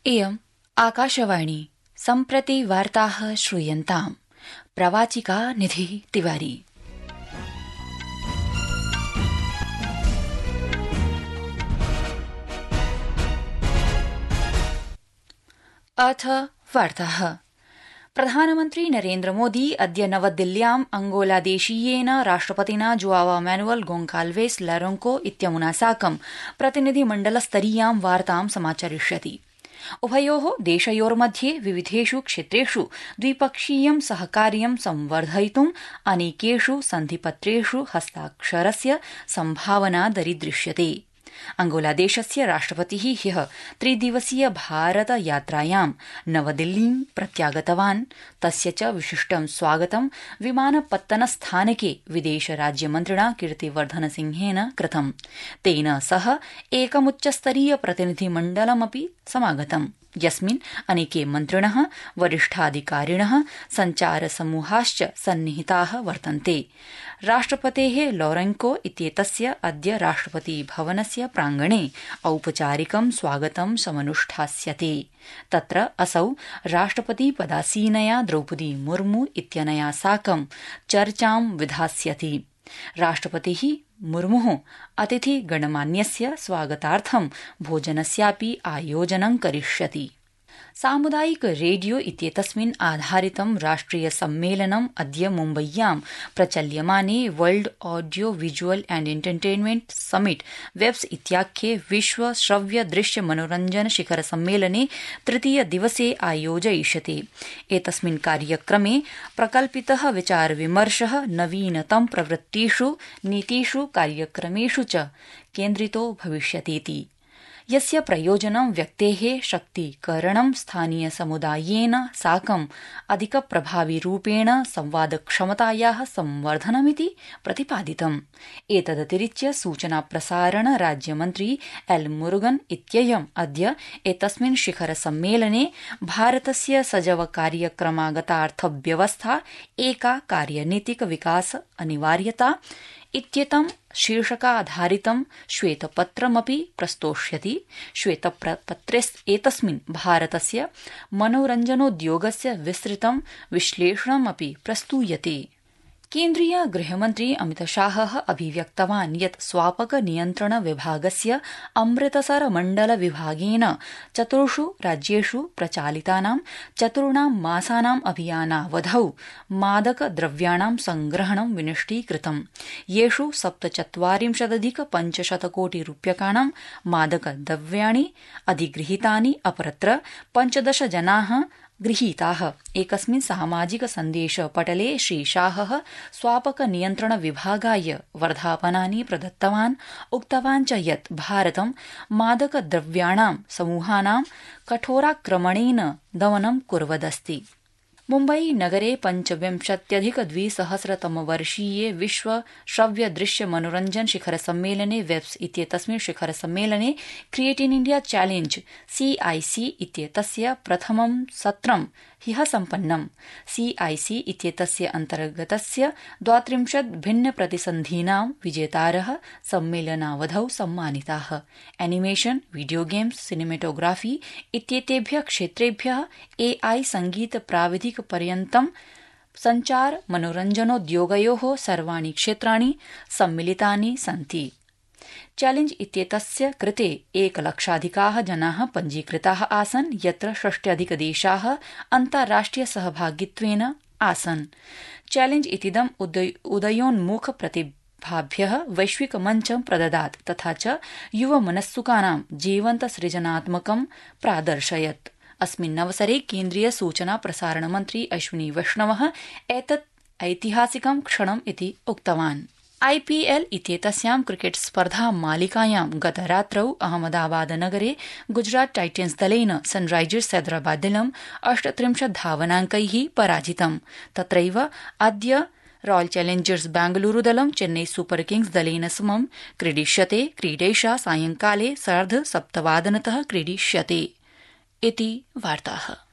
इयम् आकाशवाणी सम्प्रति वार्ताः श्रूयन्ताम्। प्रवाचिका निधि तिवारी। अथ वार्ताः। प्रधानमन्त्री नरेन्द्र मोदी अद्य नवदिल्ल्याम् अंगोलादेशीयेन राष्ट्रपतिना जोआवा मैनुअल गोन्साल्वेस लरोन्को इत्यमुना साकं प्रतिनिधिमण्डलस्तरीयां वार्तां समाचरिष्यति। उभयोः देशयोर्मध्ये विविधेषु क्षेत्रेषु द्विपक्षीयं सहकार्यं संवर्धयितुम् अनेकेषु सन्धिपत्रेषु हस्ताक्षरस्य सम्भावना दरीदृश्यते। अंगोलादेशस्य राष्ट्रपतिः ह्यः त्रिदिवसीय भारत यात्रायां नवदिल्लीं प्रत्यागतवान्। तस्य च विशिष्टं स्वागतं विमानपत्तनस्थानके विदेशराज्यमन्त्रिणा कीर्तिवर्धनसिंहेन कृतम्। तेन सह एकमुच्चस्तरीय प्रतिनिधिमण्डलमपि समागतम्, यस्मिन् अनेके मन्त्रिणः, वरिष्ठाधिकारिणः, सञ्चारसमूहाश्च सन्निहिताः वर्तन्ते। राष्ट्रपतेः लौरेन्को इत्येतस्य अद्य राष्ट्रपतिभवनस्य प्राङ्गणे औपचारिकं स्वागतं समनुष्ठास्यते। तत्र असौ राष्ट्रपतिपदासीनया द्रौपदी मुर्मू इत्यनया साकं चर्चां विधास्यति। राष्ट्रपतिः मुर्मुः अतिथिगणमान्यस्य स्वागतार्थं भोजनस्यापि आयोजनं करिष्यति। सामुदायिक रेडियो इत्येतस्मिन् आधारितं राष्ट्रिय सम्मेलनम् अद्य मुम्बय्यां प्रचल्यमाने world audio visual and entertainment summit WAVES इत्याख्ये विश्व श्रव्य दृश्य मनोरंजन शिखर सम्मेलने तृतीय दिवसे आयोजयिष्यते। एतस्मिन् कार्यक्रमे प्रकल्पितः विचार विमर्शः नवीनतम प्रवृत्तिषु, नीतिषु, कार्यक्रमेषु च केन्द्रितो भविष्यतीति, यस्य प्रयोजनं व्यक्तेः शक्तीकरणं स्थानीयसमुदायेन साकम् अधिकप्रभाविरूपेण संवादक्षमतायाः संवर्धनमिति प्रतिपादितम्। एतदतिरिच्य सूचनाप्रसारण राज्यमन्त्री एल मुरुगन इत्ययम् अद्य एतस्मिन् शिखर सम्मेलने भारतस्य सजव कार्यक्रमागतार्थव्यवस्था एका कार्यनीतिक विकास अनिवार्यता इत्येतं शीर्षकाधारितं श्वेतपत्रमपि प्रस्तोष्यति। श्वेतपत्रेऽस्मिन् भारतस्य मनोरञ्जनोद्योगस्य विस्तृतं विश्लेषणमपि प्रस्तूयते। केन्द्रीय गृहमन्त्री अमितशाहः अभिव्यक्तवान् यत् स्वापक नियन्त्रण विभागस्य अमृतसर मण्डल विभागेन 4 राज्येषु प्रचालितानां 4 मासानां अभियानावधौ मादकद्रव्याणां संग्रहणं विनिष्टीकृतम्, येषु 47,500 कोटि रूप्यकाणां मादकद्रव्याणि अधिगृहीतानि। अपरत्र 15 जनाः गृहीताः। एकस्मिन् सामाजिक सन्देश पटले श्रीशाहः स्वापक नियन्त्रण विभागाय वर्धापनानि प्रदत्तवान्। उक्तवान् च यत् भारतं मादकद्रव्याणां समूहानां कठोराक्रमणेन दमनं कुर्वदस्ति। मुम्बई नगरे 25,200तमवर्षीये विश्व श्रव्य दृश्य मनोरंजन शिखर सम्मेलने वेब्स इत्येतस्मिन् शिखर सम्मेलने create in India challenge CIC इत्येतस्य प्रथमं सत्रं ह्यः सम्पन्नम्। CIC इत्येतस्य अन्तर्गतस्य 32 भिन्नप्रतिसन्धीनां विजेतारः सम्मेलनावधौ सम्मानिताः। एनिमेशन, वीडियो गेम्स, सिनेमेटोग्राफी इत्येतेभ्यः क्षेत्रेभ्यः AI संगीत प्राविधिक पर्यन्तं संचार मनोरञ्जनोद्योगयोः सर्वाणि क्षेत्राणि सम्मिलितानि सन्ति। चैलेंज इत्येतस्य कृते 1,00,000 जनाः पञ्जीकृताः आसन्, यत्र 60 देशाः अन्ताराष्ट्रिय सहभागित्वेन आसन्। चैलेंज इतीदम् उदयोन्मुख प्रतिभाभ्यः वैश्विक मञ्चं प्रददात् तथा च युवमनस्सुकानां जीवन्त सृजनात्मकं प्रादर्शयत्। अस्मिन्नवसरे केन्द्रीय सूचना प्रसारण मन्त्री अश्विनी वैष्णवः एतत् ऐतिहासिकं क्षणम् इति उक्तवान्। IPL इत्येतस्यां क्रिकेट स्पर्धा मालिकायां गतरात्रौ अहमदाबाद नगरे गुजरात टाइटन्स दलेन सनराइजर्स हैदराबाद दलं 38 धावनाङ्कैः पराजितम्। तत्रैव अद्य रॉयल चैलेंजर्स बेंगलुरू दलं चेन्नई सुपर किंग्स दलेन समं क्रीडिष्यते। क्रीडेषा सायंकाले 7:30 क्रीडिष्यते इति वार्ताः।